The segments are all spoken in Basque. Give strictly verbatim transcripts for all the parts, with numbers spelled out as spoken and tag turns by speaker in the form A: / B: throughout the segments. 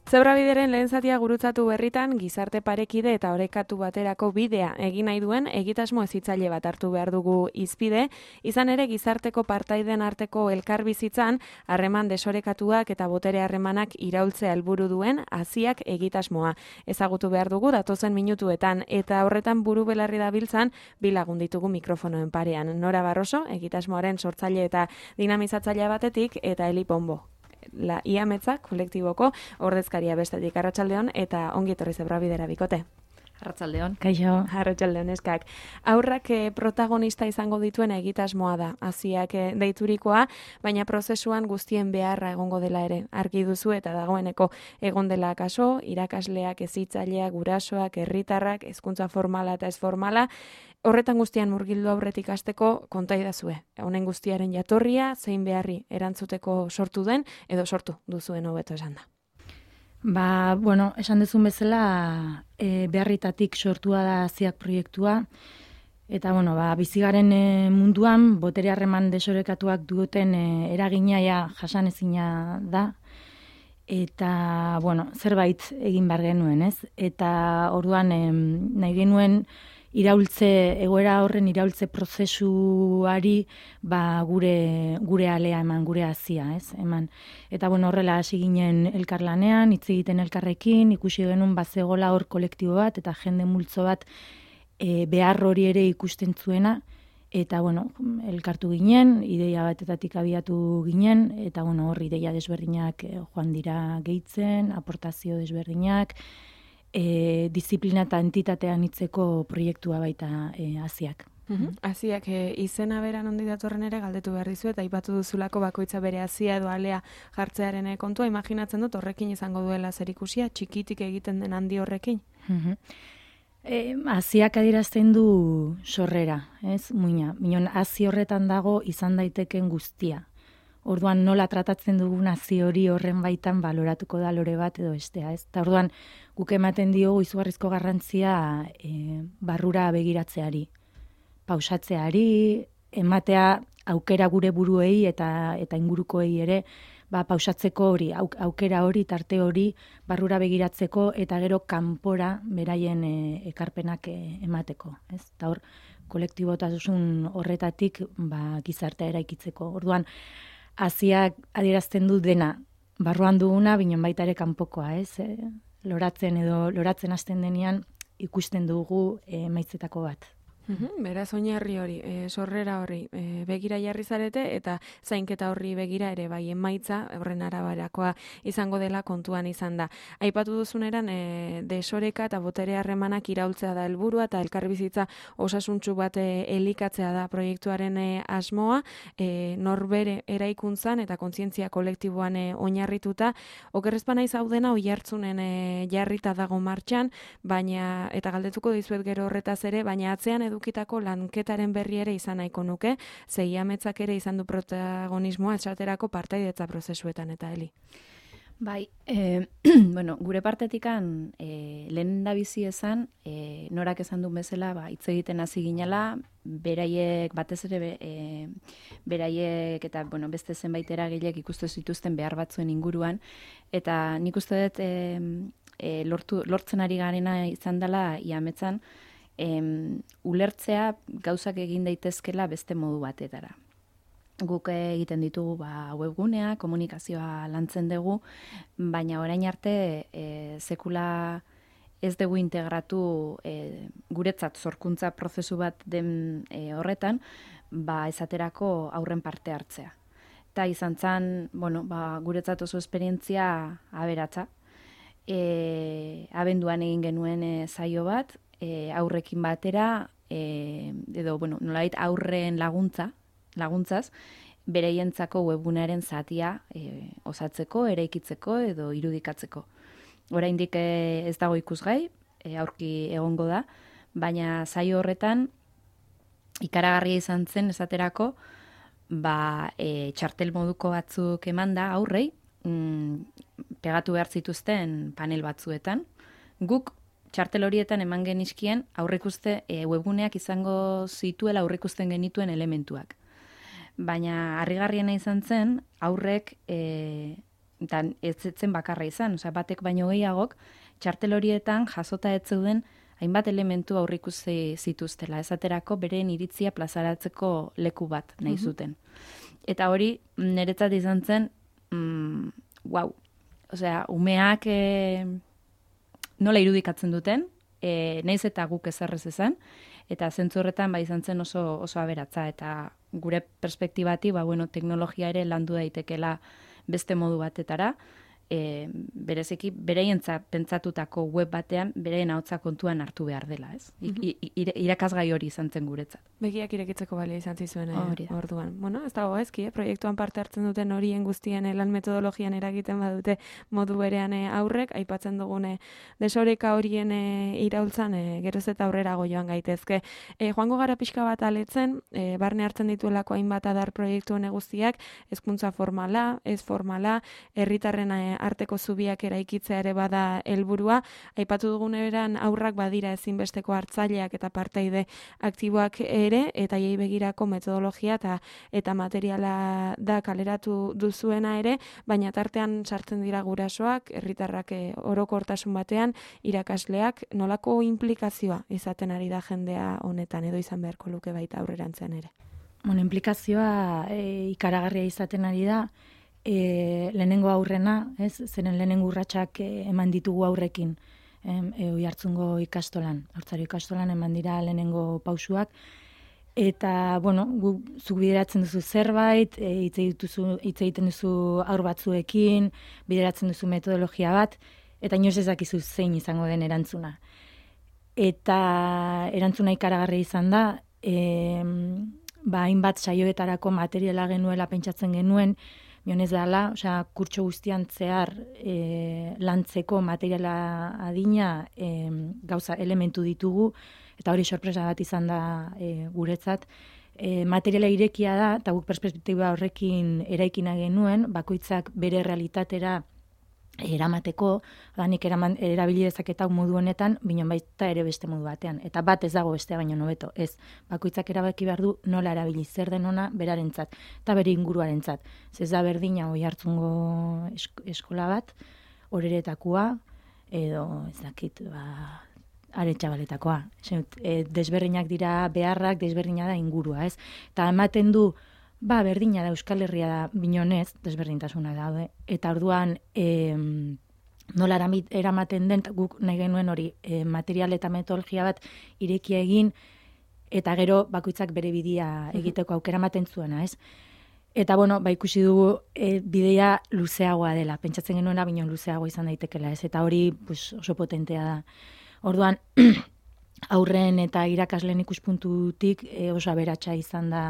A: Zebrabideren lehen zatia gurutzatu berritan, gizarte parekide eta orekatu baterako bidea egin nahi duen egitasmo hezitzaile bat hartu behar dugu hizpide, izan ere gizarteko partaideen arteko elkarbizitzan, harreman desorekatuak eta botere harremanak iraultzea helburu duen haziak egitasmoa. Ezagutu behar dugu datozen minutuetan, eta horretan buru belarri dabiltzan bi lagun ditugu mikrofonoen parean. Nora Barroso, egitasmoaren sortzaile eta dinamizatzailea batetik, eta Eli Pombo, la Iametza kolektiboko ordezkaria bestetik. Arratsaldeon eta ongi etorri Zebrabidera bikote.
B: Arratsaldeon.
C: Kaixo.
A: Arratsaldeon eskak. Aurrak eh, protagonista izango dituen egitasmoa da, haziak eh, deiturikoa, baina prozesuan guztien beharra egongo dela ere. Argi duzu eta dagoeneko egon dela kaso, irakasleak, hezitzaileak, gurasoak, herritarrak, hezkuntza formala eta ez formala, horretan guztian murgildu aurretik hasteko konta idazue. Honen guztiaren jatorria, zein beharri erantzuteko sortu den, edo sortu duzuen hobeto esan da.
C: Ba, bueno, esan dezun bezala, e, beharritatik sortua da haziak proiektua, eta, bueno, ba, bizigaren e, munduan, botere harreman desorekatuak duten e, eraginaia jasanezina da, eta, bueno, zerbait egin behar genuen, ez? Eta orduan e, nahi genuen iraultze, egoera horren iraultze prozesuari ba, gure, gure alea eman, gure hazia, ez? Eman. Eta bueno, horrela hasi ginen elkarlanean, hitz egiten elkarrekin, ikusi genuen bazegola hor kolektibo bat, eta jende multzo bat e, behar hori ere ikusten zuena, eta bueno, elkartu ginen, ideia batetatik abiatu ginen, eta bueno, hor ideia desberdinak e, joan dira gehitzen, aportazio desberdinak, E, disiplina eta entitatean hitzeko proiektua baita e, haziak.
A: Haziak e, izena beran ondi datorren ere galdetu behar dizu, eta aipatu duzulako bakoitza bere hazia edo alea jartzearen kontua, imaginatzen dut horrekin izango duela zerikusia, txikitik egiten den handi horrekin?
C: E, haziak adierazten du sorrera, ez, muina. Minon, hazi horretan dago izan daiteken guztia. Orduan nola tratatzen dugun hazi hori horren baitan baloratuko da lore bat edo bestea, ez? Ta orduan guk ematen diogu izugarrizko garrantzia e, barrura begiratzeari, pausatzeari, ematea aukera gure buruei eta eta ingurukoei ere, ba pausatzeko hori, aukera hori, tarte hori barrura begiratzeko eta gero kanpora beraien e, ekarpenak e, emateko, ez? Ta hor kolektibotasun horretatik ba gizartea eraikitzeko. Orduan haziak adierazten du dena, barruan duguna, binon baita ere kanpokoa, ez? E, loratzen edo loratzen hasten denean ikusten dugu emaitzetako bat.
A: Uhum, beraz oinarri hori, e, sorrera horri e, begira jarri zarete eta zainketa horri begira ere bai emaitza horren araberakoa izango dela kontuan izan da. Aipatu duzuneran e, desoreka eta botere harremanak iraultzea da helburua eta elkarbizitza osasuntsu bat e, elikatzea da proiektuaren e, asmoa, e, norbere eraikuntzan eta kontzientzia kolektiboan e, oinarrituta. Okerrezpa naiz hau dena oihartzunen e, jarrita dago martxan, baina eta galdetuko dizuet gero horretaz ere, baina atzean edo edukitako lanketaren berri ere izan nahiko nuke, ze Iametzak ere izan du protagonismoa esaterako partaidetza prozesuetan eta Eli.
B: Bai, e, bueno, gure partetikan e, lehen da bizi esan, e, norak esan duen bezala, ba, hitz egiten hasi ginela, beraiek, batez ere e, beraiek eta bueno, beste zenbait eragilek ikustu zituzten behar batzuen inguruan, eta nik uste dut e, e, lortu, lortzen ari garena izan dela Iametzan, Em, ulertzea gauzak egin daitezkela beste modu batetara. Guk egiten ditugu ba, webgunea, komunikazioa lantzen dugu, baina orain arte e, sekula ez dugu integratu e, guretzat sorkuntza prozesu bat den e, horretan, ba, esaterako aurren parte hartzea. Eta izan zen, bueno, ba, guretzat oso esperientzia aberatsa. E, abenduan egin genuen e, saio bat, E, aurrekin batera, e, edo, bueno, nolait aurren laguntza, laguntzaz, bereientzako webgunearen zatia e, osatzeko, eraikitzeko edo irudikatzeko. Oraindik e, ez dago ikusgai, e, aurki egongo da, baina saio horretan ikaragarria izan zen esaterako, ba, e, txartel moduko batzuk emanda aurrei, mm, pegatu behar zituzten panel batzuetan, guk txartel horietan eman genizkien aurrikuste e, webguneak izango zituela aurrikusten genituen elementuak. Baina harrigarriena izan zen aurrek e, eta ez zen bakarra izan, osea, batek baino gehiagok, txartel horietan jasota ez zeuden hainbat elementu aurrikusi zituztela, esaterako beren iritzia plazaratzeko leku bat nahi zuten. Eta hori niretzat izan zen, mm, wow, osea, umeak e, nola irudikatzen duten, e, naiz eta guk ezerrez izan, eta zentzu horretan ba izan zen oso oso aberatza, eta gure perspektibati, ba bueno, teknologia ere landu daitekela beste modu batetara, e, bereziki bereientzat pentsatutako web batean bereien ahotsa kontuan hartu behar dela, ez? I, i, irakasgai hori izan zen guretzat.
A: Begiak irekitzeko balio izan zizuen eh, orduan. Bueno, ez dago ezki, eh? Proiektuan parte hartzen duten horien guztien eh, lan metodologian eragiten badute modu berean eh, aurrek, aipatzen dugune desoreka horien eh, iraultzan eh, geroz eta aurrerago joan gaitezke. Eh, joango gara pixka bat aletzen, eh, barne hartzen dituelako hainbat adar proiektu hone guztiak, hezkuntza formala, ez formala, herritarren eh, arteko zubiak eraikitzea ere bada helburua. Aipatu dugun eran aurrak badira ezinbesteko hartzaileak eta parteide aktiboak ere, eta hiei begirako metodologia eta eta materiala da kaleratu duzuena ere, baina tartean sartzen dira gurasoak, herritarrak orokortasun batean, irakasleak, nolako implikazioa izaten ari da jendea honetan, edo izan beharko luke baita aurrerantzean ere.
C: Bueno, implikazioa e, ikaragarria izaten ari da, E, lehenengo aurrena, ez, zeren lehenengo urratsak e, eman ditugu aurrekin, e, e, Oiartzungo ikastolan, Haurtzaro ikastolan eman dira lehenengo pausuak, eta, bueno, gu, zuk bideratzen duzu zerbait, e, hitz egituzu, hitz egiten duzu aur batzuekin, bideratzen duzu metodologia bat, eta inoiz ez dakizu zein izango den erantzuna. Eta erantzuna ikaragarria izan da, e, ba, hainbat saioetarako materiala genuela pentsatzen genuen, Bionez dela, osea, kurtso guztian zehar e, lantzeko materiala adina e, gauza elementu ditugu, eta hori sorpresa bat izan da e, guretzat. E, materiala irekia da, eta guk perspektiba horrekin eraikina genuen, bakoitzak bere realitatera eramateko, danik eraman, erabili dezaketa modu honetan, binon baita ere beste modu batean. Eta bat ez dago bestea baino hobeto, ez. Bakoitzak erabaki behar du nola erabili zer den ona berarentzat, eta bere inguruarentzat. Ez da berdina Oiartzungo eskola bat, Oreretakoa, edo ez dakit, ba, Aretxabaletakoa. E, desberdinak dira beharrak, desberdina da ingurua, ez. Eta ematen du, ba, berdina da, Euskal Herria da, binonez, desberdintasuna daude. Eta orduan, e, nola eramaten den, guk nahi genuen hori, e, material eta metodologia bat irekia egin, eta gero bakoitzak bere bidea egiteko aukera ematen zuena, ez? Eta, bueno, ba, ikusi dugu e, bidea luzeagoa dela, pentsatzen genuena binon luzeagoa izan daitekela, ez? Eta hori pues, oso potentea da. Orduan, aurren eta irakasleen ikuspuntutik e, oso aberatsa izan da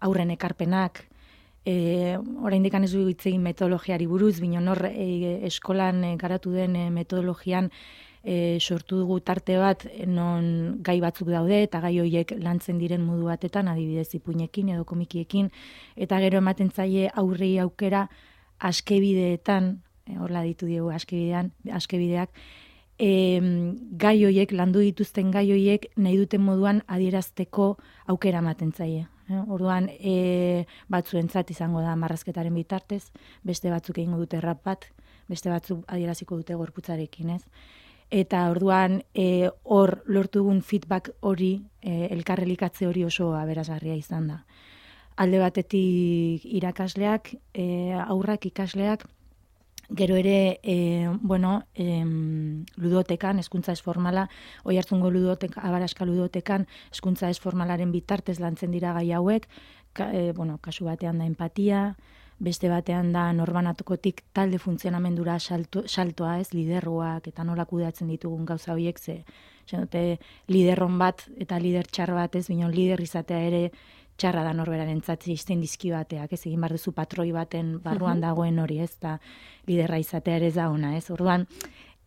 C: aurren ekarpenak, e, oraindik ez du hitz egin metodologiari buruz, binon hor e, eskolan e, garatu den e, metodologian e, sortu dugu tarte bat non gai batzuk daude, eta gai horiek lantzen diren modu batetan, adibidez ipuinekin edo komikiekin, eta gero ematen zaie aurrei aukera askebideetan, e, horla ditu diegu askebidean, askebideak, E, gai horiek, landu dituzten gai horiek nahi duten moduan adierazteko aukera ematen zaie. Eh? Orduan, e, batzuentzat izango da marrazketaren bitartez, beste batzuk egingo dute rap bat, beste batzuk adieraziko dute gorputzarekin, ez? Eta orduan, e, hor lortu dugun feedback hori, e, elkarrelikatze hori oso aberasgarria izan da. Alde batetik irakasleak, e, aurrak ikasleak, gero ere, e, bueno, e, ludotekan, hezkuntza ez formala, Oiartzungo ludotek, Abaraska ludotekan, hezkuntza ez formalaren bitartez lantzen dira gai hauek, ka, e, bueno, kasu batean da empatia, beste batean da norbanatukotik talde funtzionamendura salto, saltoa, ez, liderroak, eta nola kudeatzen ditugun gauza horiek, ze, ze liderron bat eta lider txar bat, ez, binon lider izatea ere, txarra da norberarentzat izten dizki bateak, ez egin behar duzu patroi baten barruan dagoen hori, ez, eta liderra izatea ere ez da ona, ez, orduan,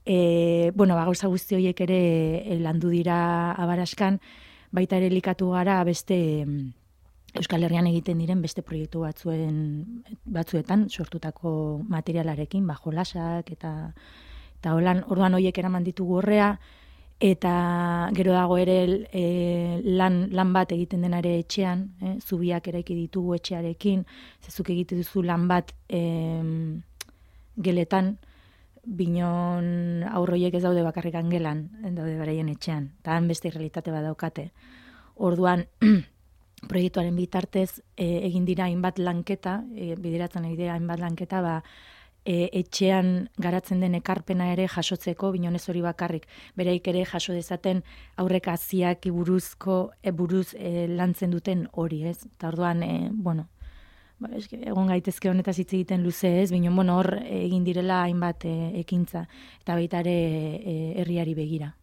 C: e, bueno, ba, gauza guzti horiek ere e, landu dira Abaraskan, baita ere elikatu gara beste Euskal Herrian egiten diren beste proiektu batzuen batzuetan sortutako materialarekin, ba, jolasak, eta, eta holan, orduan horiek eraman ditugu horrea, eta gero dago ere e, lan, lan bat egiten denare etxean, eh, zubiak eraiki ditugu etxearekin, zezuk egite duzu lan bat e, geletan, binon aurroiek ez daude bakarrikan gelan, daude beraien etxean, eta han beste realitate bat daukate. Orduan, proiektuaren bitartez e, egin dira hainbat lanketa, e, bideratzen egin hainbat lanketa, ba, e, etxean garatzen den ekarpena ere jasotzeko, binonez hori bakarrik, bereik ere jaso dezaten aurrek haziak buruzko, e, buruz e, lantzen duten hori, ez? Eta orduan, e, bueno, ba, eske, egon gaitezke honetaz hitz egiten luze ez, binon, bueno, hor egin direla hainbat e, ekintza, eta baita ere e, herriari begira.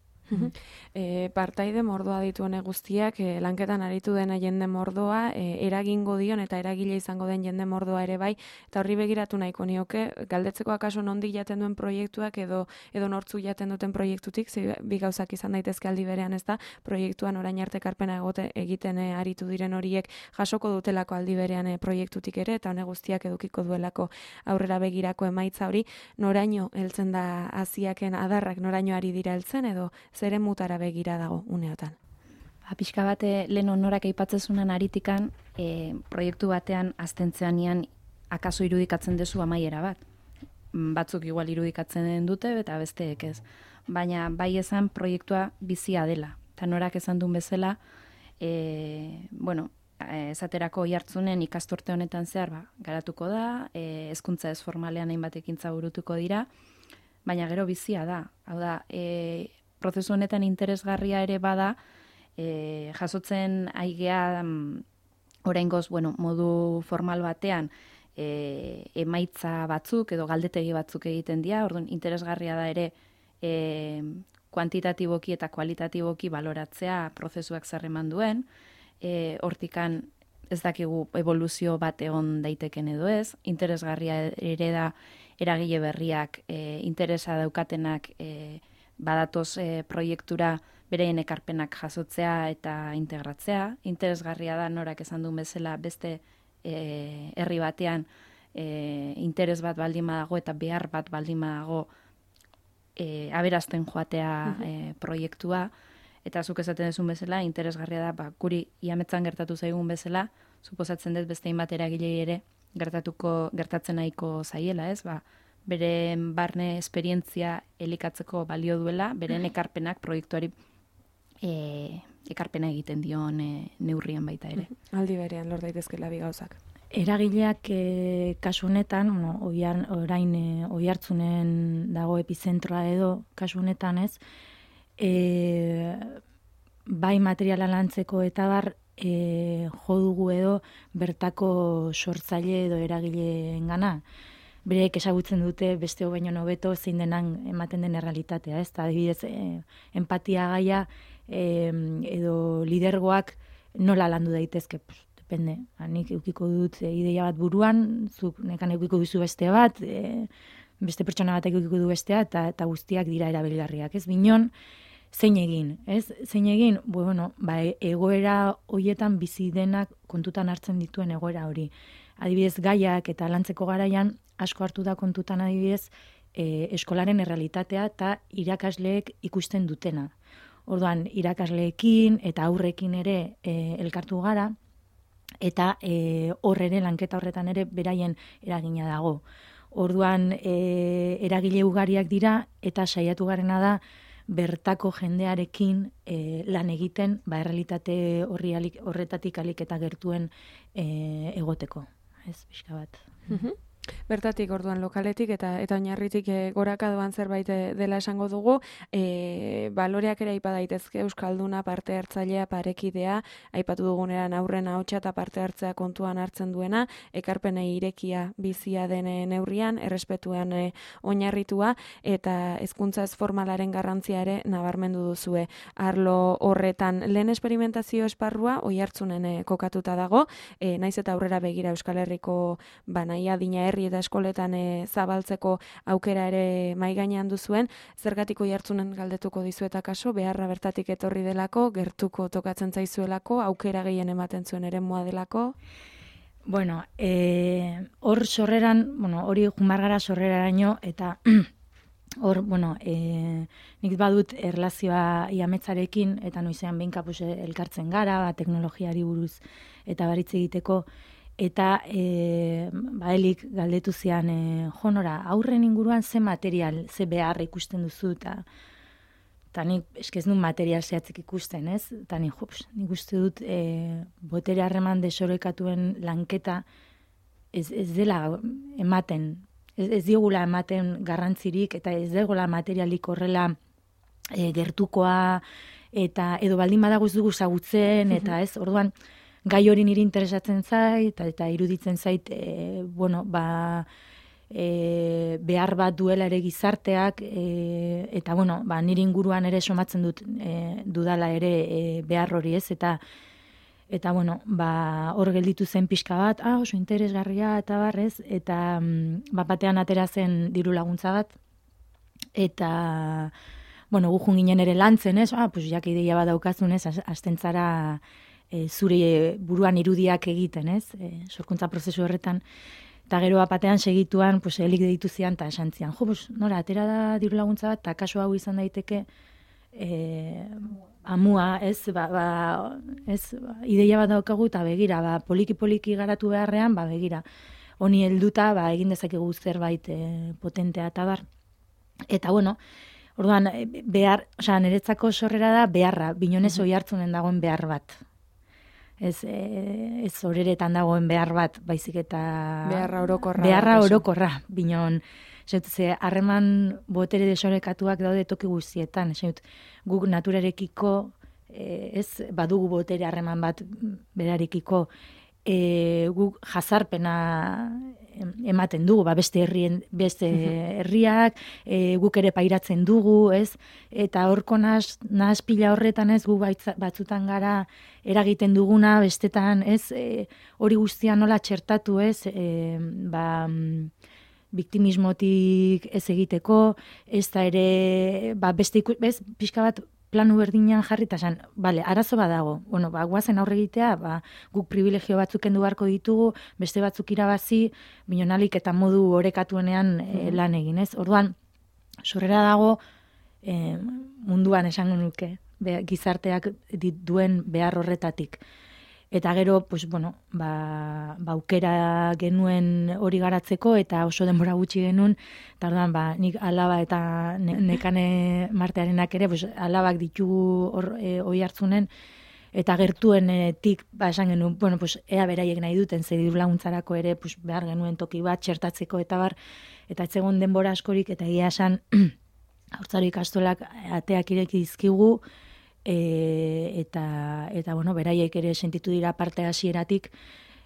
A: E, partaide mordoa dituen guztiak, e, lanketan aritu dena jende mordoa, e, eragingo dion eta eragile izango den jende mordoa ere bai, eta horri begiratu nahiko nioke, galdetzeko akaso nondik jaten duen proiektuak edo edo nortzu jaten duten proiektutik, zi, bi gauzak izan daitezke aldi berean, ez da, proiektuan orain arte ekarpena egote, egiten e, aritu diren horiek jasoko dutelako aldi berean e, proiektutik ere, eta hone guztiak edukiko duelako aurrera begirako emaitza hori, noraino heltzen da haziaken adarrak, noraino ari dira heltzen edo zeren mutara begira dago uneotan.
B: Ba, pixka bate lehen honorak aipatzezunan aritikan, e, proiektu batean aztentzeanian akaso irudikatzen dezu amaiera bat. Batzuk igual irudikatzen dute eta besteek ez. Baina bai esan proiektua bizia dela. Eta norak esan duen bezala, e, bueno, esaterako Oiartzunen ikasturte honetan zehar ba, garatuko da, e, hezkuntza ez formalean hainbat ekintza burutuko dira, baina gero bizia da. Hau da, e, prozesu honetan interesgarria ere bada, e, jasotzen aigea um, oraingoz, bueno, modu formal batean e, emaitza batzuk edo galdetegi batzuk egiten dira, orduan interesgarria da ere e, kuantitatiboki eta kualitatiboki baloratzea prozesuak zer eman duen, e, hortikan ez dakigu evoluzio bat egon daiteken edo ez, interesgarria ere da eragile berriak, e, interesa daukatenak e, badatoz e, proiektura bereien ekarpenak jasotzea eta integratzea. Interesgarria da norak esan duen bezala beste e, herri batean e, interes bat baldin badago eta behar bat baldin badago e, aberazten joatea e, proiektua. Eta zuk esaten duzun bezala, interesgarria da, ba, guri iametzan gertatu zaigun bezala, suposatzen dut beste hainbat eragilei ere gertatuko, gertatzen nahiko zaiela, ez? Ba, beren barne esperientzia elikatzeko balio duela, beren ekarpenak proiektuari e, ekarpena egiten dion e, neurrian baita ere.
A: Aldi berean lor daitezkela bi gauzak.
C: Eragileak e, kasu honetan, bueno, oian, orain e, Oiartzunen dago epizentroa edo kasu honetan ez, e, bai materiala lantzeko eta bar e, jo dugu edo bertako sortzaile edo eragileengana. Bereek ezagutzen dute beste baino hobeto zein denan ematen den errealitatea, ez? Ta adibidez, e, empatia gaia e, edo lidergoak nola landu daitezke, pues, depende. Nik edukiko dut e, ideia bat buruan, zuk nekan edukiko duzu beste bat, e, beste pertsona batek edukiko du bestea, eta, eta guztiak dira erabilgarriak, ez? Binon, zein egin, ez? Zein egin, bueno, ba, egoera hoietan bizi denak kontutan hartzen dituen egoera hori. Adibidez, gaiak eta lantzeko garaian, asko hartu da kontutan adibidez, e, eskolaren errealitatea eta irakasleek ikusten dutena. Orduan, irakasleekin eta aurrekin ere e, elkartu gara, eta e, hor ere, lanketa horretan ere, beraien eragina dago. Orduan, e, eragile ugariak dira, eta saiatu garena da, bertako jendearekin e, lan egiten, ba, errealitate horri alik, horretatik alik eta gertuen e, egoteko. Ez, pixka bat.
A: Mhm. Bertatik, orduan lokaletik eta eta oinarritik e, goraka doan zerbait dela esango dugu, e, baloreak ere aipa daitezke euskalduna, parte hartzailea, parekidea, aipatu duguneran aurren ahotsa eta parte hartzea kontuan hartzen duena, ekarpenei irekia bizia den neurrian, errespetuan e, oinarritua eta hezkuntza ez formalaren garrantzia ere nabarmendu duzue. Arlo horretan lehen esperimentazio esparrua Oiartzunen e, kokatuta dago, e, naiz eta aurrera begira Euskal Herriko banaia dina herri eta eskoletan e, zabaltzeko aukera ere mai gainean duzuen, zergatik Oiartzunen galdetuko dizueta kaso, beharra bertatik etorri delako, gertuko tokatzen zaizuelako, aukera gehien ematen zuen ere moa delako?
C: Bueno, e, hor sorreran, bueno, hori jumargara sorreraraino, eta hor, bueno, e, nik badut erlazioa iametzarekin, eta noizean behin kapuse elkartzen gara, ba, teknologiari buruz eta baritze egiteko, eta e, ba, helik galdetu zian, e, jonora, aurren inguruan ze material, ze behar ikusten duzu, eta eta nik eskez nun material zehatzik ikusten, ez? Eta nik, jops, nik uste dut e, botere harreman desorekatuen lanketa ez, ez dela ematen, ez, ez diogula ematen garrantzirik, eta ez degola materialik horrela e, gertukoa, eta edo baldin badago ez dugu zagutzen, eta ez, orduan, gai hori niri interesatzen zait, eta, eta iruditzen zait, e, bueno, ba, e, behar bat duela ere gizarteak, e, eta, bueno, ba, niri inguruan ere somatzen dut e, dudala ere e, behar hori ez, eta, eta, bueno, ba, hor gelditu zen pixka bat, ah, oso interesgarria, eta barrez, eta mm, bat batean atera zen diru laguntza bat, eta, bueno, gujun ginen ere lantzen, ez, ah, pues, jak ideia bat daukazun, ez, hasten zara e, zure buruan irudiak egiten, ez, e, sorkuntza prozesu horretan, eta gero batean segituan, pues, helik deitu zian, eta esan zian, jo, pues, nora, atera da diru laguntza bat, eta kaso hau izan daiteke, e, amua, ez, ba, ba, ez, ba, ideia bat daukagu, eta begira, ba, poliki-poliki garatu beharrean, ba, begira, honi helduta, ba, egin dezakegu zerbait e, potentea eta bar. Eta, bueno, orduan, behar, osea, niretzako sorrera da beharra, Binonez oi hartzunen dagoen behar bat. Ez, e, ez horeretan dagoen behar bat, baizik eta...
A: Beharra orokorra.
C: Beharra orokorra, Binon. Ze, harreman botere desorekatuak daude toki guztietan. Ze, guk naturarekiko, e, ez badugu botere harreman bat berarekiko, e, guk jazarpena ematen dugu, ba, beste herrien, beste herriak, e, guk ere pairatzen dugu, ez? Eta horko nahas, nahas pila horretan, ez, gu baitza, batzutan gara eragiten duguna, bestetan, ez, e, hori guztia nola txertatu, ez, e, ba, biktimismotik ez egiteko, ez da ere, ba, beste iku, bez, pixka bat planu berdinean jarri, eta esan, bale, arazo badago, bueno, ba, guazen aurre egitea, ba, guk privilegio batzuk kendu beharko ditugu, beste batzuk irabazi, binonalik eta modu orekatuenean e, lan egin, ez? Orduan, sorrera dago, e, munduan esango nuke, be, gizarteak duen behar horretatik. Eta gero, pues, bueno, ba, ba, aukera genuen hori garatzeko, eta oso denbora gutxi genuen, eta orduan, ba, nik alaba eta ne, nekane martearenak ere, pues, alabak ditugu hor, e, oi hartzunen, eta gertuenetik, ba, esan genuen, bueno, pues, ea beraiek nahi duten, ze diru laguntzarako ere, pues, behar genuen toki bat, txertatzeko eta bar, eta etzegon denbora askorik, eta egia esan, haurtzaro ikastolak ateak ireki dizkigu, E, eta, eta bueno, beraiek ere sentitu dira parte hasieratik,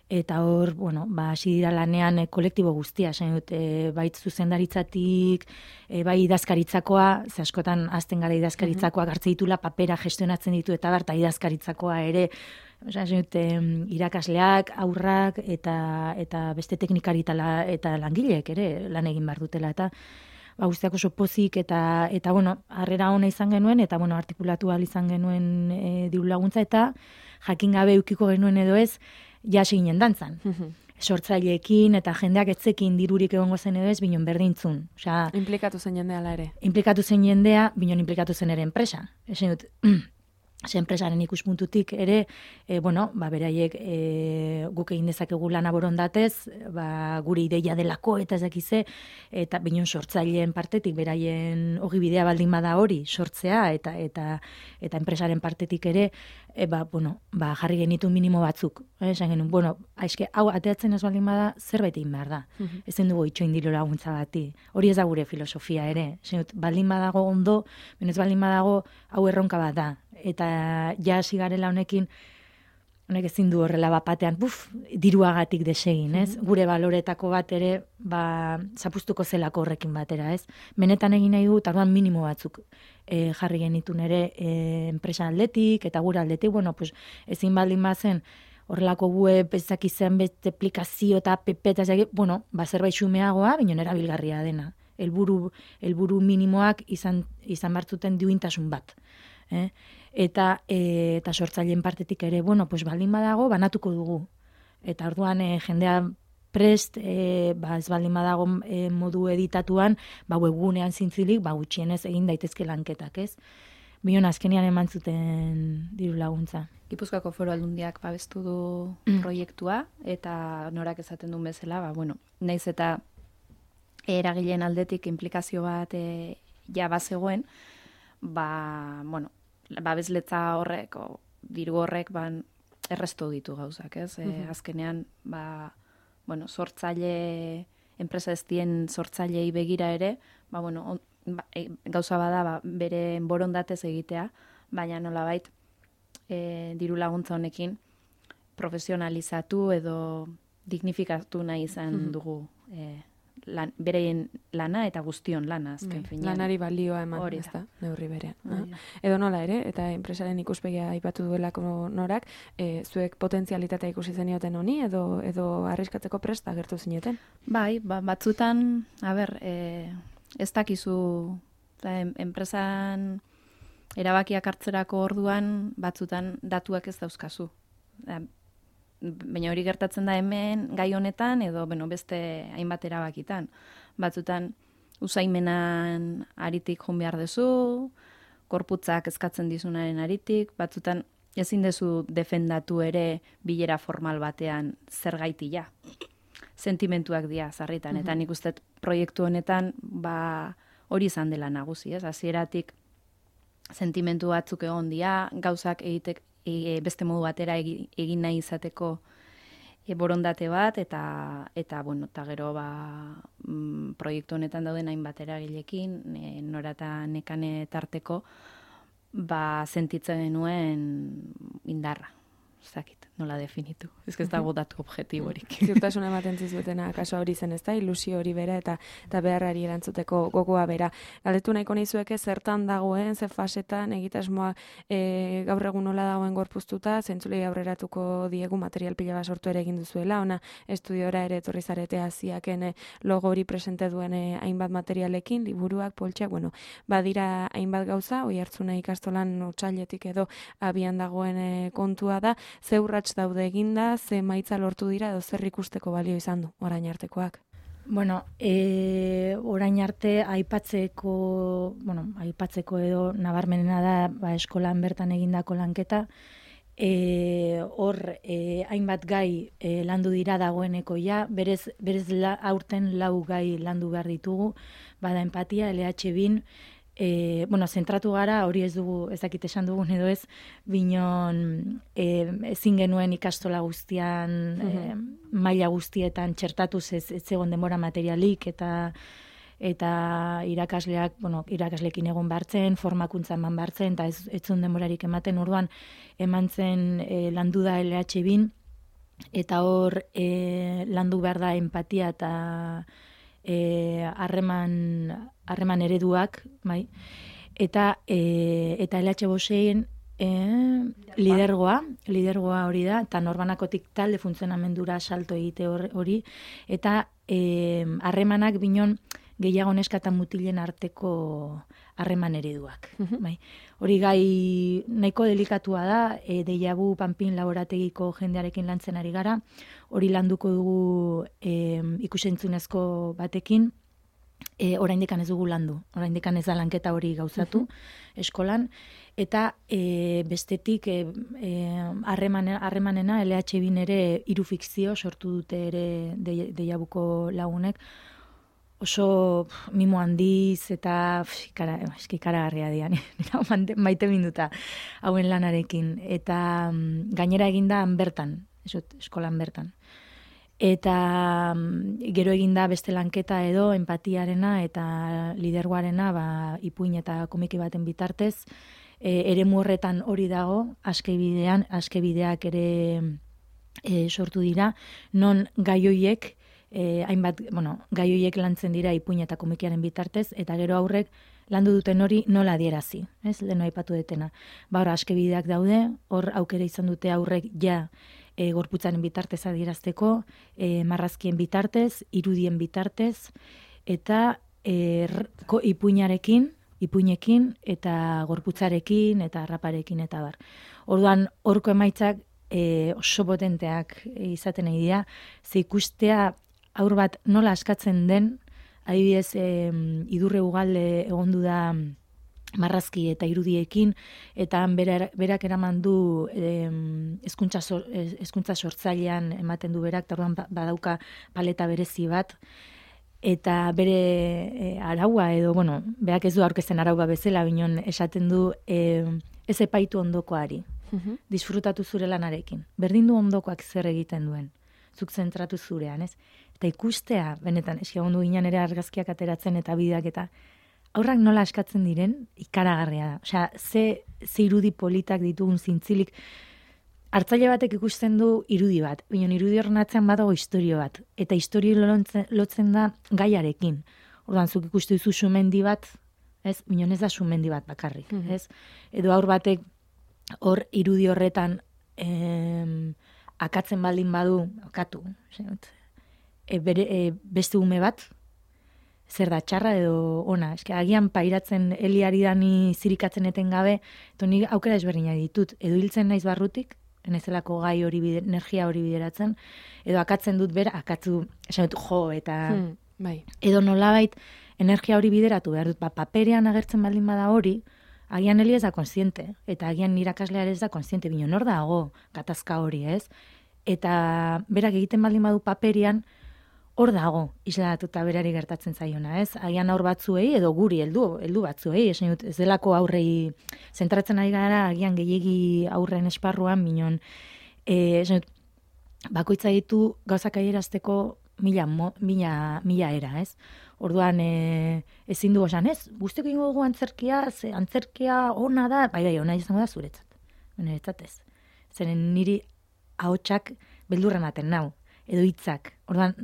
C: eta hor, bueno, ba, hasi dira lanean e, kolektibo guztia, esan dut, e, bait zuzendaritzatik, e, bai idazkaritzakoa, ze askotan azten gara idazkaritzakoak hartze ditula, papera gestionatzen ditu, eta berta idazkaritzakoa ere, esan dut, e, irakasleak, aurrak, eta, eta beste teknikari eta, la, eta langileek ere lan egin behar dutela, eta ba, guztiak oso pozik, eta, eta bueno, harrera ona izan genuen, eta bueno, artikulatu ahal izan genuen e, diru laguntza, eta jakin gabe eukiko genuen edo ez, jasi ginen dantzan. Sortzaileekin, eta jendeak etzekin dirurik egongo zen edo ez, binon berdintzun. Osea,
A: implikatu zen jendea ala ere.
C: Implikatu zen jendea, binon implikatu zen ere enpresa. Esan dut, ze enpresaren ikuspuntutik ere, e, bueno, ba, beraiek e, guk egin dezakegu lana borondatez, ba, gure ideia delako eta ez dakize, eta binon sortzaileen partetik, beraien ogibidea baldin bada hori sortzea, eta eta eta enpresaren partetik ere, e, ba, bueno, ba, jarri genitu minimo batzuk. Eh, esan genuen, bueno, aizke, hau ateatzen ez baldin bada, zerbait egin behar da. Uh-huh. Ezen dugu itxoin diru laguntza bati. Hori ez da gure filosofia ere. Esan dut, baldin badago ondo, benez baldin badago, hau erronka bat da. Eta ja hasi garela honekin, honek ezin du horrela bapatean, buf, diruagatik desegin, ez? Mm-hmm. Gure baloretako bat ere, ba, zapustuko zelako horrekin batera, ez? Benetan egin nahi du, eta orduan minimo batzuk e, jarri genitun ere e, enpresa aldetik, eta gure aldetik, bueno, pues, ezin baldin bazen, horrelako web, ezak izan beste aplikazio eta app, eta ezak, bueno, ba, zerbait xumeagoa, binon erabilgarria dena. Helburu, helburu minimoak izan, izan bartzuten duintasun bat. Eh? Eta, e, eta sortzaileen partetik ere, bueno, pues baldin badago, banatuko dugu. Eta orduan e, jendea prest, e, ba, ez baldin badago e, modu editatuan, ba, webgunean zintzilik, ba, gutxienez egin daitezke lanketak, ez? bion azkenean eman zuten diru laguntza.
B: Gipuzkoako Foru Aldundiak babestu du
C: Mm.
B: proiektua, eta norak esaten duen bezala, ba, bueno, naiz eta eragileen aldetik implikazio bat e, ja bazegoen, ba, bueno, babesletza horrek, o, diru horrek, ban, errestu ditu gauzak, ez? E,
A: Mhm.
B: azkenean, ba, bueno, sortzaile, enpresa ez dien sortzailei begira ere, ba, bueno, on, ba, e, gauza bada, ba, bere borondatez egitea, baina nolabait, e, diru laguntza honekin profesionalizatu edo dignifikatu nahi izan
A: Mhm.
B: dugu e, lan, bereien lana eta guztion lana azken
A: Bai,
B: finean.
A: lanari balioa eman,
B: Hori da.
A: ezta, neurri berean.
B: Hori da.
A: Edo nola ere, eta enpresaren ikuspegia aipatu duelako norak, e, zuek potentzialitatea ikusi zenioten honi, edo edo arriskatzeko prest agertu zineten?
B: Bai, ba, batzutan, a ber, e, ez dakizu, eta en, enpresan erabakiak hartzerako orduan, batzutan datuak ez dauzkazu. Da, baina hori gertatzen da hemen, gai honetan, edo bueno, beste hainbat erabakitan. Batzutan, usaimenan aritik joan behar duzu, korputzak eskatzen dizunaren aritik, batzutan ezin dezu defendatu ere bilera formal batean zer gaitia. Sentimentuak dira sarritan, eta nik uste proiektu honetan ba, hori izan dela nagusi, ez? Hasieratik sentimentu batzuk egon dira, gauzak egitek, e, beste modu batera egi, egin nahi izateko e, borondate bat, eta, eta bueno, eta gero ba, mm, proiektu honetan dauden hainbat eragilekin, e, nora eta nekane tarteko, ba, sentitzen genuen indarra. Ez dakit, nola definitu. Ez que ez dago datu objektiborik.
A: Ziurtasun ematen zizuetena, kaso hori zen, ez da, ilusio hori bera eta eta beharrari erantzuteko gogoa bera. Galdetu nahiko nizueke zertan dagoen, ze fasetan, egitasmoa e, gaur egun nola dagoen gorpuztuta, zentzulei aurreratuko diegu material pila bat sortu ere egin duzuela, ona estudiora ere etorri zarete hasiaken e, logo hori presente duen e, hainbat materialekin, liburuak, poltsak, bueno, badira hainbat gauza, oi hartzuna ikastolan otsailetik edo abian dagoen e, kontua da, ze urrats daude eginda, ze maitza lortu dira, edo zer ikusteko balio izan du, orain artekoak.
C: Bueno, e, orain arte aipatzeko, bueno, aipatzeko edo nabarmenena da ba, eskolan bertan egindako lanketa, e, hor e, hainbat gai e, landu dira dagoeneko ja, berez, berez la, aurten lau gai landu behar ditugu, bada empatia, L H bin, E, bueno, zentratu gara, hori ez dugu, ez dakit esan dugun edo ez, binon e, ezin genuen ikastola guztian, e, maila guztietan txertatuz ez, ez zegoen denbora materialik, eta eta irakasleak, bueno, irakaslekin egon bartzen, formakuntza eman bartzen, eta ez, ez zuen denborarik ematen, orduan eman zen e, landu da L H bin, eta hor e, landu behar da empatia eta harreman e, harreman ereduak, bai. Eta e, eta L H bostein e, lidergoa, lidergoa hori da, eta norbanakotik talde funtzionamendura salto egite hori, eta harremanak e, binon gehiago neska eta mutilen arteko harreman ereduak. Bai. Hori gai nahiko delikatua da, e, deiabu Panpin laborategiko jendearekin lantzen ari gara, hori landuko dugu e, ikusentzunezko batekin, E, oraindikan ez dugu landu, oraindikan ez da lanketa hori gauzatu eskolan, eta e, bestetik harremanena e, e, L H bin ere hiru fikzio sortu dute ere deiabuko lagunek, oso pf, mimo handiz eta ikaragarria dian, maite minduta hauen lanarekin, eta mm, gainera eginda bertan, esot, eskolan bertan. Eta gero eginda beste lanketa edo empatiarena eta lidergoarena ba, ipuin eta komiki baten bitartez. E, eremu horretan hori dago, askebidean, askebideak ere e, sortu dira, non gaioiek, e, hainbat, bueno, gaioiek lantzen dira ipuin eta komikiaren bitartez, eta gero aurrek landu duten hori nola adierazi, ez, leheno aipatu detena. Ba, hor askebideak daude, hor aukera izan dute aurrek ja, E, gorputzaren bitartez adierazteko, e, marrazkien bitartez, irudien bitartez, eta e, ko, ipuinarekin, ipuinekin, eta gorputzarekin, eta raparekin, eta bar. Orduan, horko emaitzak e, oso potenteak izaten nahi dira, ze ikustea aur bat nola askatzen den, adibidez, e, idurre ugalde egondu da marrazki eta irudiekin, eta berak, berak eraman du hezkuntza hezkuntza sortzailean ematen du berak, eta orduan badauka paleta berezi bat, eta bere e, araua edo, bueno, berak ez du aurkezten araua bezala, binon esaten du e, ez epaitu ondokoari, uh-huh. disfrutatu zure lanarekin. Berdin du ondokoak zer egiten duen, zuk zentratu zurean, ez? Eta ikustea, benetan, eski egon du ginen ere argazkiak ateratzen eta bideak eta aurrak nola askatzen diren, ikaragarria da. Osea, ze, ze irudi politak ditugun zintzilik, hartzaile batek ikusten du irudi bat, binon irudi horren atzean badago istorio bat, eta istorio lotzen, lotzen da gaiarekin. Orduan, zuk ikustu dizu sumendi bat, ez? Binon ez da sumendi bat bakarrik, mm-hmm. ez? Edo aur batek hor irudi horretan em, akatzen baldin badu, akatu, e, bere, e, beste ume bat, zer da, txarra edo ona. Eske, agian pairatzen heliari dani zirikatzen eten gabe, eta nik aukera ezberdina ditut. Edo hiltzen naiz barrutik, enezelako gai hori, bide, energia hori bideratzen, edo akatzen dut bera, akatzu, esan dut, jo, eta
A: hmm, bai.
C: Edo nolabait energia hori bideratu behar dut, ba, paperean agertzen baldin bada hori, agian heli ez da konsiente, eta agian irakaslear ez da konsiente, bino nor dago gatazka hori, ez? Eta berak egiten baldin badu paperian, hor dago, isladatuta berari gertatzen zaiona, ez? Agian aur batzuei, edo guri, heldu, heldu batzuei, esan dut, ez delako aurrei zentratzen ari gara, agian gehiegi aurren esparruan, minon, e, esan dut, bakoitza ditu gauzak adierazteko mila, mo, mila, mila era, ez? Orduan, e, ezin du esan, ez? Guzteko ingo dugu antzerkia, ze antzerkia ona da, bai, bai, ona izango da zuretzat. Niretzat ez. Zeren niri ahotsak beldurra ematen nau, edo hitzak. Orduan,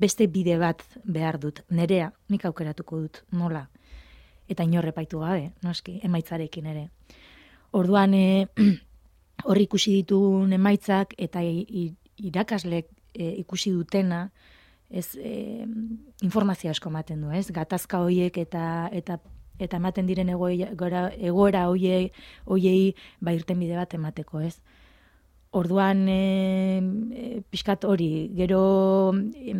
C: beste bide bat behar dut, nerea, nik aukeratuko dut, nola. Eta inorre paitu gabe, noski, emaitzarekin ere. Orduan, horri ikusi ditun emaitzak, eta irakaslek e, ikusi dutena, ez, e, informazio asko ematen du, ez? Gatazka hoiek eta eta eta ematen diren egoera, egoera hoiei, hoiei ba irten bide bat emateko, ez? Orduan, e, e, pixkat hori, gero e,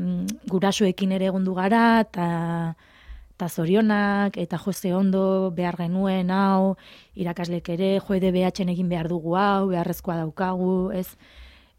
C: gurasoekin ere egondu gara, eta zorionak, eta jose ondo behar genuen, hau, irakaslek ere, jo E D B H-en egin behar dugu hau, beharrezkoa daukagu, ez?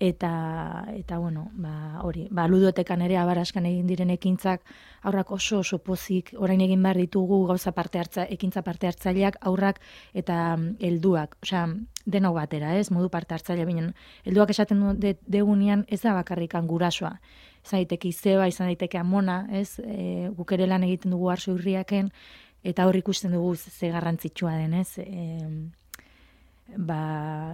C: Eta, eta bueno, ba, hori, ba, ludotekan ere abaraskan egin diren ekintzak, aurrak oso oso pozik, orain egin behar ditugu gauza parte hartza, ekintza parte hartzaileak, aurrak eta helduak, osea, denok batera, ez, modu parte hartzailea binen, helduak esaten du degunean ez da bakarrikan gurasoa, izan daiteke izeba, izan daiteke amona, ez, e, guk ere lan egiten dugu arso irriaken, eta hor ikusten dugu ze garrantzitsua den, ez, e, ba,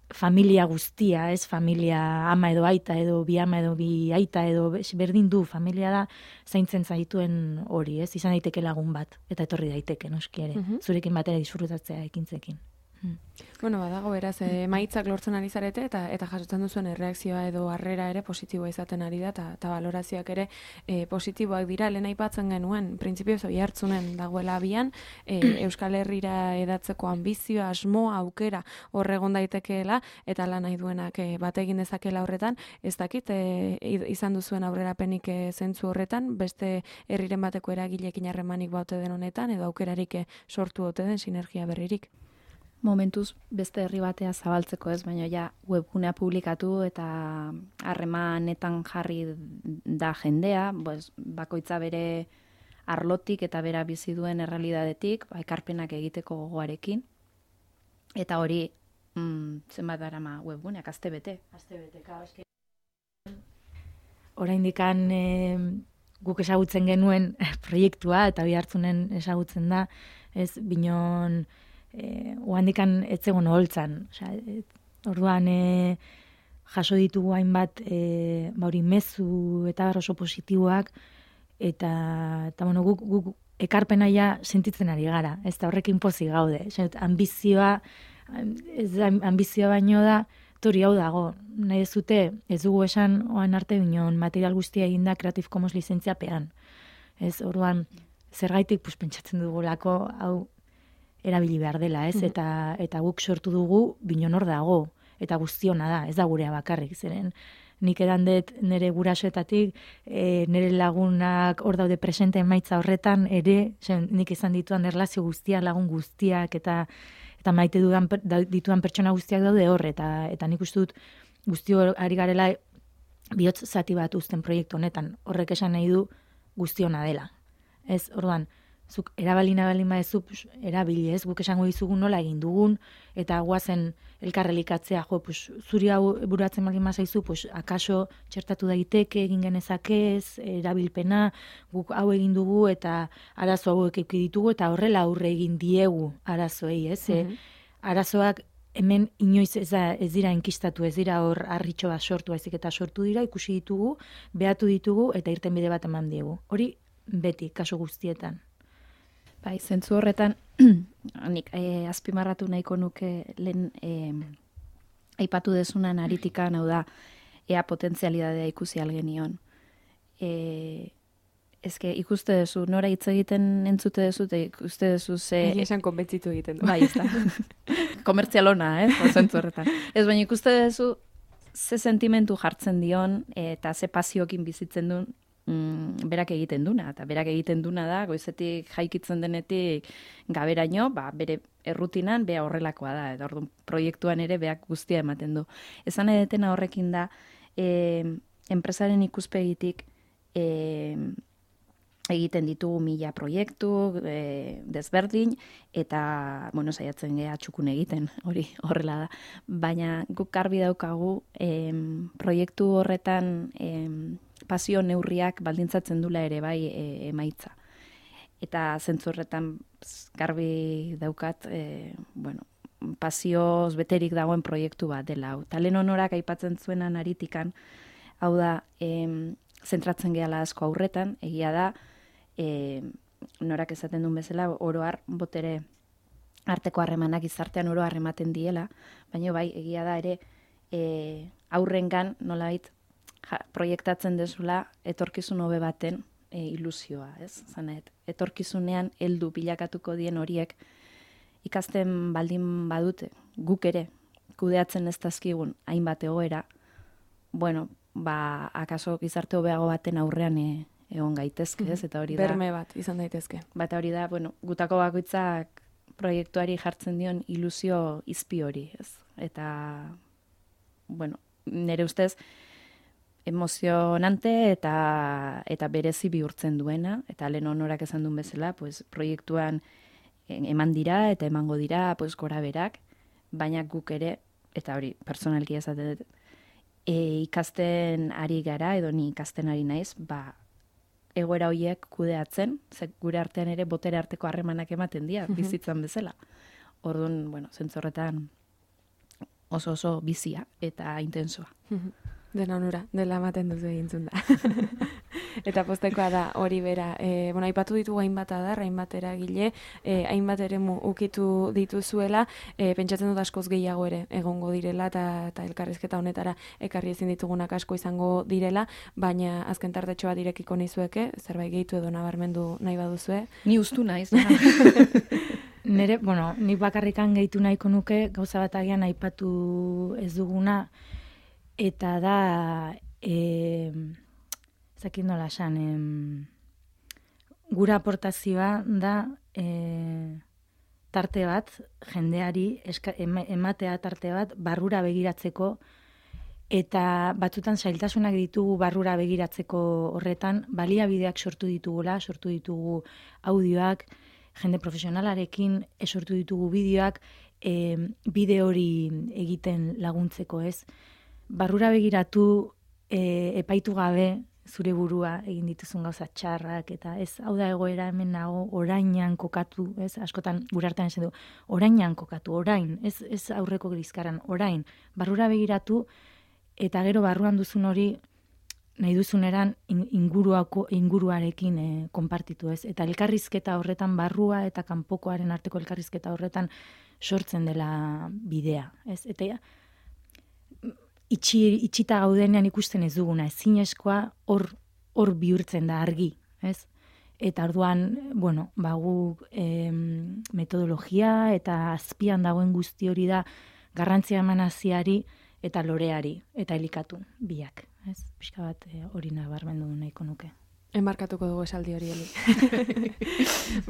C: familia guztia, ez, familia ama edo aita edo bi ama edo bi aita edo berdin du, familia da zaintzen zaituen hori, ez, izan daiteke lagun bat, eta etorri daiteke, noski ere, uh-huh. zurekin batera disfrutatzea ekintzekin. Hmm.
A: Bueno, badago beraz, emaitzak lortzen ari zarete eta eta jasotzen duzuen erreakzioa edo harrera ere positiboa izaten ari da, eta balorazioak ere e, positiboak dira. Lehen aipatzen genuen, printzipioz hori hartzunen dagoela abian, e, Euskal Herrira edatzeko ambizioa, asmoa, aukera horregon daitekeela, eta lan nahi duenak e, bat egin dezakela horretan, ez dakit, e, izan duzuen aurrerapenik e, zentzu horretan, beste herriren bateko eragilekin harremanik baute den honetan, edo aukerarik e, sortu ote den sinergia berririk.
B: Momentuz beste herri batea zabaltzeko ez, baina ja webgunea publikatu eta harremanetan jarri da jendea, pues, bakoitza bere arlotik eta bera bizi duen errealidadetik, ba, ekarpenak egiteko gogoarekin. Eta hori, mm, zenbat darama webguneak, aste bete. Aste bete, eske.
C: Oraindikan e, guk ezagutzen genuen proiektua, eta bi hartzunen ezagutzen da, ez, binon Eh, oandikan etzegon holtzan, osea, e, orduan e, jaso ditugu hainbat e, bauri mezu eta oso positiboak eta eta bueno, guk, guk ekarpena ja sentitzen ari gara, ez da horrekin pozik gaude, osea, ambizioa ez da ambizioa baino da tori hau dago, nahi ez dute ez dugu esan oan arte binon material guztia eginda Creative Commons lizentziapean, ez, orduan zergaitik pues, pentsatzen dugulako hau erabili behar dela, ez? Mm-hmm. Eta eta guk sortu dugu binon hor dago, eta guztiona da, ez da gurea bakarrik, zeren nik edan dut nire gurasoetatik, e, nire lagunak hor daude presente emaitza horretan, ere, zen, nik izan dituan erlazio guztiak, lagun guztiak, eta eta maite dudan, dituan pertsona guztiak daude hor, eta, eta nik uste dut guzti ari garela bihotz zati bat uzten proiektu honetan, horrek esan nahi du guztiona dela. Ez, orduan, zuk erabalina balin badezu, erabili ez, guk esango dizugun nola egin dugun, eta guazen elkarrelikatzea, jo, pues, zuri hau buratzen balin bazaizu, pues, akaso txertatu daiteke, egin genezakez, erabilpena, guk hau egin dugu, eta arazo hauek eduki ditugu, eta horrela aurre egin diegu arazoei, ez? Mm-hmm. E, arazoak hemen inoiz ez, da, ez dira enkistatu, ez dira hor harritxo bat sortu, ezik eta sortu dira, ikusi ditugu, behatu ditugu, eta irten bide bat eman diegu. Hori beti, kaso guztietan.
B: Bai, zentzu horretan, nik e, azpimarratu nahiko nuke lehen e, aipatu dezunan aritikan, hau da, ea potentzialidadea ikusi algenion. E, ezke, ikuste duzu, nora hitz egiten entzute duzu, eta ikuste duzu ze...
A: Egi esan konbentzitu egiten du.
B: Bai, ez da. Komertzialona, eh, zentzu horretan. Ez, baina ikuste duzu ze sentimentu jartzen dion, eta ze pasiokin bizitzen duen, Mm, berak egiten duna, eta berak egiten duna da, goizetik jaikitzen denetik gaberaino, ba, bere errutinan, bea horrelakoa da, eta orduan proiektuan ere beak guztia ematen du. Esan edetena horrekin da, e, enpresaren ikuspegitik e, egiten ditugu mila proiektu, e, desberdin, eta, bueno, saiatzen geha txukun egiten, hori horrela da. Baina guk garbi daukagu, e, proiektu horretan, e, pasio neurriak baldintzatzen dula ere bai e, emaitza. Eta zentzu horretan garbi daukat, e, bueno, pasioz beterik dagoen proiektu bat dela. Talen honorak aipatzen zuenan aritikan, hau da, e, zentratzen gehala asko aurretan, egia da, e, norak esaten duen bezala, oroar botere arteko harremanak izartean oro harrematen diela, baina bai, egia da ere, e, aurrengan nolabait, Ja, proiektatzen dezula etorkizun hobe baten e, ilusioa, ez? Zanet, etorkizunean heldu bilakatuko dien horiek ikasten baldin badute, guk ere, kudeatzen ez dazkigun hainbat egoera, bueno, ba, akaso gizarte hobeago baten aurrean e, egon gaitezke, ez? Eta hori da...
A: Berme bat izan daitezke.
B: Bata hori da, bueno, gutako bakoitzak proiektuari jartzen dion ilusio izpi hori, ez? Eta, bueno, nire ustez, emozionante eta eta berezi bihurtzen duena, eta lehen honorak esan duen bezala, pues, proiektuan eman dira eta emango dira pues, gora berak, baina guk ere, eta hori, personalki esaten, e, ikasten ari gara, edo ni ikasten ari naiz, ba, egoera horiek kudeatzen, ze gure artean ere botere arteko harremanak ematen dira, bizitzan bezala. Orduan, bueno, zentzorretan oso oso bizia eta intensoa.
A: Dena onura, dela ematen duzu egintzun da. Eta postekoa da hori bera. E, bueno, aipatu ditugu hainbat adar, hainbat eragile, e, hainbat eremu ukitu dituzuela, e, pentsatzen dut askoz gehiago ere egongo direla, eta, eta elkarrizketa honetara ekarri ezin ditugunak asko izango direla, baina azken tartetxo bat irekiko nizueke, zerbait gehitu edo nabarmendu nahi baduzue.
B: Ni ustu naiz.
C: Nere, bueno, nik bakarrikan gehitu nahiko nuke, gauza bat agian aipatu ez duguna, eta da, e, zakin nola esan, e, gura aportazioa da e, tarte bat, jendeari eska, ematea tarte bat, barrura begiratzeko, eta batzutan zailtasunak ditugu barrura begiratzeko horretan, baliabideak sortu ditugula, sortu ditugu audioak, jende profesionalarekin sortu ditugu bideoak, e, bide hori egiten laguntzeko, ez? Barrura begiratu, e, epaitu gabe zure burua egin dituzun gauza txarrak, eta ez, hau da egoera hemen nago, orainan kokatu, ez? Askotan gure artean esan du, orainan kokatu, orain, ez, ez aurreko grizkaran, orain, barrura begiratu, eta gero barruan duzun hori, nahi duzuneran inguruako, inguruarekin e, konpartitu, ez? Eta elkarrizketa horretan barrua eta kanpokoaren arteko elkarrizketa horretan sortzen dela bidea, ez? Eta ja, itxi, itxita gaudenean ikusten ez duguna, ezinezkoa hor hor bihurtzen da argi, ez? Eta orduan, bueno, ba guk e, metodologia eta azpian dagoen guzti hori da garrantzia eman hasiari eta loreari, eta elikatu, biak. Ez? Pixka bat e, hori nabarmendu nahiko nuke.
A: Enmarkatuko dugu esaldi hori, Eli.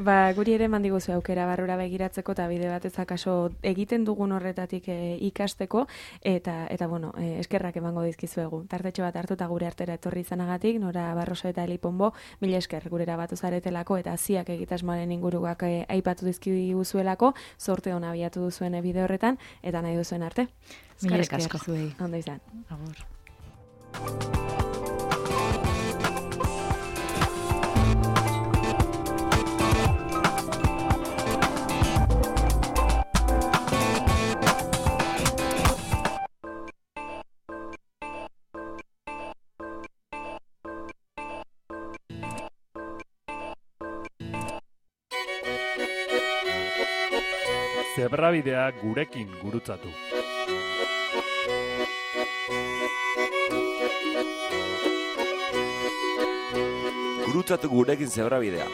A: Ba, guri ere mandiguzu aukera barrura begiratzeko eta bide batez akaso egiten dugun horretatik e, ikasteko eta eta bueno, e, eskerrak emango dizkizuegu. Tartetxo bat hartuta gure artera etorri izanagatik, Nora Barroso eta Eli Ponbo, mila esker gurera batu zaretelako eta ziak egitasmoaren inguruak e, aipatu dizkiguzuelako, zorte ona abiatu duzuen bide horretan eta nahi duzuen arte.
C: Mila esker zuei.
A: Ondo izan.
C: Agur.
D: Zebrabidea gurekin gurutzatu.
E: Gurutzatu gurekin zebrabidea.